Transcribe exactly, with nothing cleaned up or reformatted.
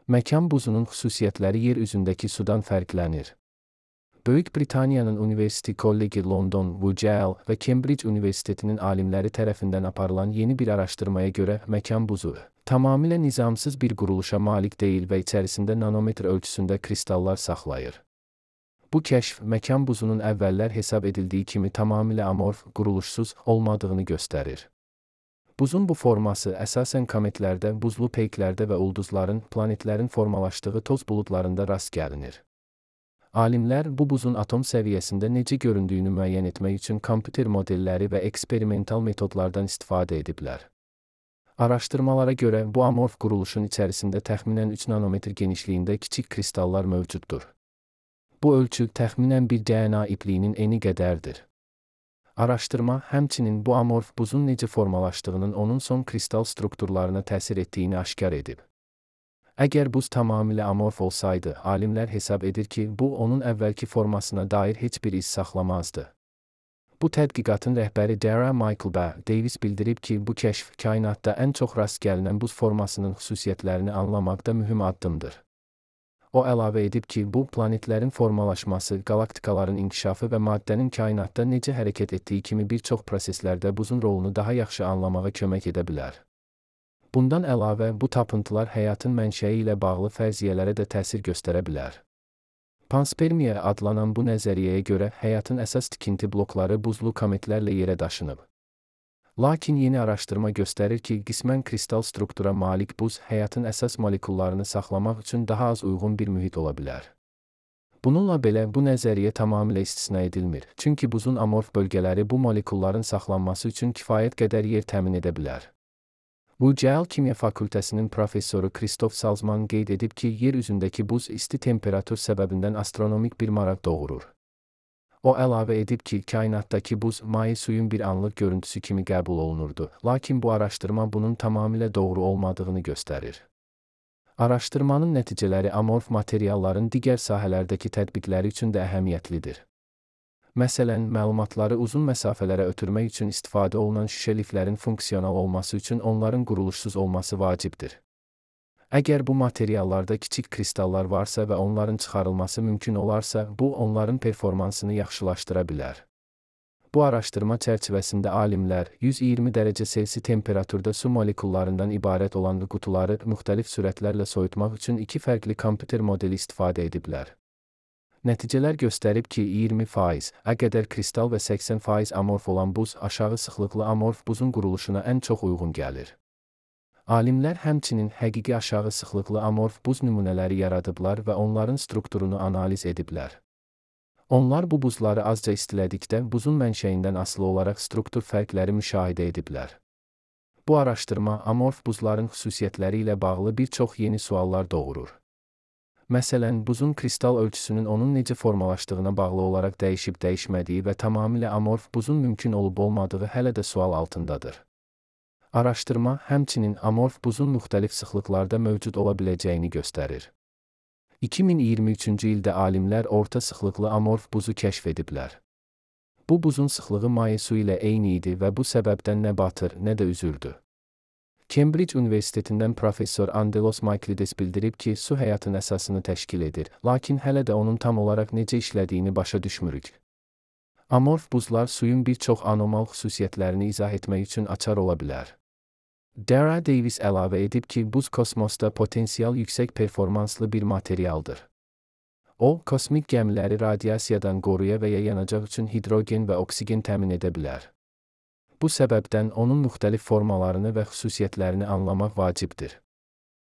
Məkan buzunun xüsusiyyətləri yer üzündəki sudan fərqlənir. Böyük Britaniyanın University College London, U C L və Cambridge Universitetinin alimləri tərəfindən aparılan yeni bir araşdırmaya görə məkan buzu tamamilə nizamsız bir quruluşa malik deyil və içərisində nanometr ölçüsündə kristallar saxlayır. Bu kəşf, məkan buzunun əvvəllər hesab edildiyi kimi tamamilə amorf, quruluşsuz olmadığını göstərir. Buzun bu forması əsasən kometlərdə, buzlu peyklərdə və ulduzların, planetlərin formalaşdığı toz buludlarında rast gəlinir. Alimlər bu buzun atom səviyyəsində necə göründüyünü müəyyən etmək üçün kompüter modelləri və eksperimental metodlardan istifadə ediblər. Araşdırmalara görə bu amorf quruluşun içərisində təxminən üç nanometr genişliyində kiçik kristallar mövcuddur. Bu ölçü təxminən bir D N A ipliyinin eni qədərdir. Araşdırma həmçinin bu amorf buzun necə formalaşdığının onun son kristal strukturlarına təsir etdiyini aşkar edib. Əgər buz tamamilə amorf olsaydı, alimlər hesab edir ki, bu onun əvvəlki formasına dair heç bir iz saxlamazdı. Bu tədqiqatın rəhbəri Dara Michael B. Davis bildirib ki, bu kəşf kainatda ən çox rast gəlinən buz formasının xüsusiyyətlərini anlamaqda mühüm addımdır. O əlavə edib ki, bu, planetlərin formalaşması, qalaktikaların inkişafı və maddənin kainatda necə hərəkət etdiyi kimi bir çox proseslərdə buzun rolunu daha yaxşı anlamağa kömək edə bilər. Bundan əlavə, bu tapıntılar həyatın mənşəyi ilə bağlı fərziyyələrə də təsir göstərə bilər. Panspermiya adlanan bu nəzəriyyəyə görə həyatın əsas tikinti blokları buzlu kometlərlə yerə daşınıb. Lakin yeni araşdırma göstərir ki, qismən kristal struktura malik buz həyatın əsas molekullarını saxlamaq üçün daha az uyğun bir mühit ola bilər. Bununla belə, bu nəzəriyyə tamamilə istisna edilmir, çünki buzun amorf bölgələri bu molekulların saxlanması üçün kifayət qədər yer təmin edə bilər. U C L Kimya Fakültəsinin professoru Christoph Salzman qeyd edib ki, yer üzündəki buz isti temperatur səbəbindən astronomik bir maraq doğurur. O əlavə edib ki, kainatdakı buz maye suyun bir anlıq görüntüsü kimi qəbul olunurdu, lakin bu araşdırma bunun tamamilə doğru olmadığını göstərir. Araşdırmanın nəticələri amorf materialların digər sahələrdəki tətbiqləri üçün də əhəmiyyətlidir. Məsələn, məlumatları uzun məsafələrə ötürmək üçün istifadə olunan şüşə liflərin funksional olması üçün onların quruluşsuz olması vacibdir. Əgər bu materiallarda kiçik kristallar varsa və onların çıxarılması mümkün olarsa, bu onların performansını yaxşılaşdıra bilər. Bu araşdırma çərçivəsində alimlər yüz iyirmi dərəcə Selsi temperaturda su molekullarından ibarət olan qutuları müxtəlif sürətlərlə soyutmaq üçün iki fərqli kompüter modeli istifadə ediblər. Nəticələr göstərib ki, iyirmi faiz ə qədər kristal və səksən faiz amorf olan buz aşağı sıxlıqlı amorf buzun quruluşuna ən çox uyğun gəlir. Alimlər həmçinin həqiqi aşağı sıxlıqlı amorf buz nümunələri yaradıblar və onların strukturunu analiz ediblər. Onlar bu buzları azca istilədikdə buzun mənşəyindən asılı olaraq struktur fərqləri müşahidə ediblər. Bu araşdırma amorf buzların xüsusiyyətləri ilə bağlı bir çox yeni suallar doğurur. Məsələn, buzun kristal ölçüsünün onun necə formalaşdığına bağlı olaraq dəyişib-dəyişmədiyi və tamamilə amorf buzun mümkün olub-olmadığı hələ də sual altındadır. Araşdırma həmçinin amorf buzun müxtəlif sıxlıqlarda mövcud ola biləcəyini göstərir. iki min iyirmi üçüncü ildə alimlər orta sıxlıqlı amorf buzu kəşf ediblər. Bu buzun sıxlığı maye su ilə eyni idi və bu səbəbdən nə batır, nə də üzürdü. Cambridge Universitetindən professor Angelos Michaelides bildirib ki, su həyatın əsasını təşkil edir, lakin hələ də onun tam olaraq necə işlədiyini başa düşmürük. Amorf buzlar suyun bir çox anormal xüsusiyyətlərini izah etmək üçün açar ola bilər. Dara Davis əlavə edib ki, buz kosmosda potensial yüksək performanslı bir materialdır. O, kosmik gəmiləri radiasiyadan qoruya və ya yanacaq üçün hidrogen və oksigen təmin edə bilər. Bu səbəbdən onun müxtəlif formalarını və xüsusiyyətlərini anlamaq vacibdir.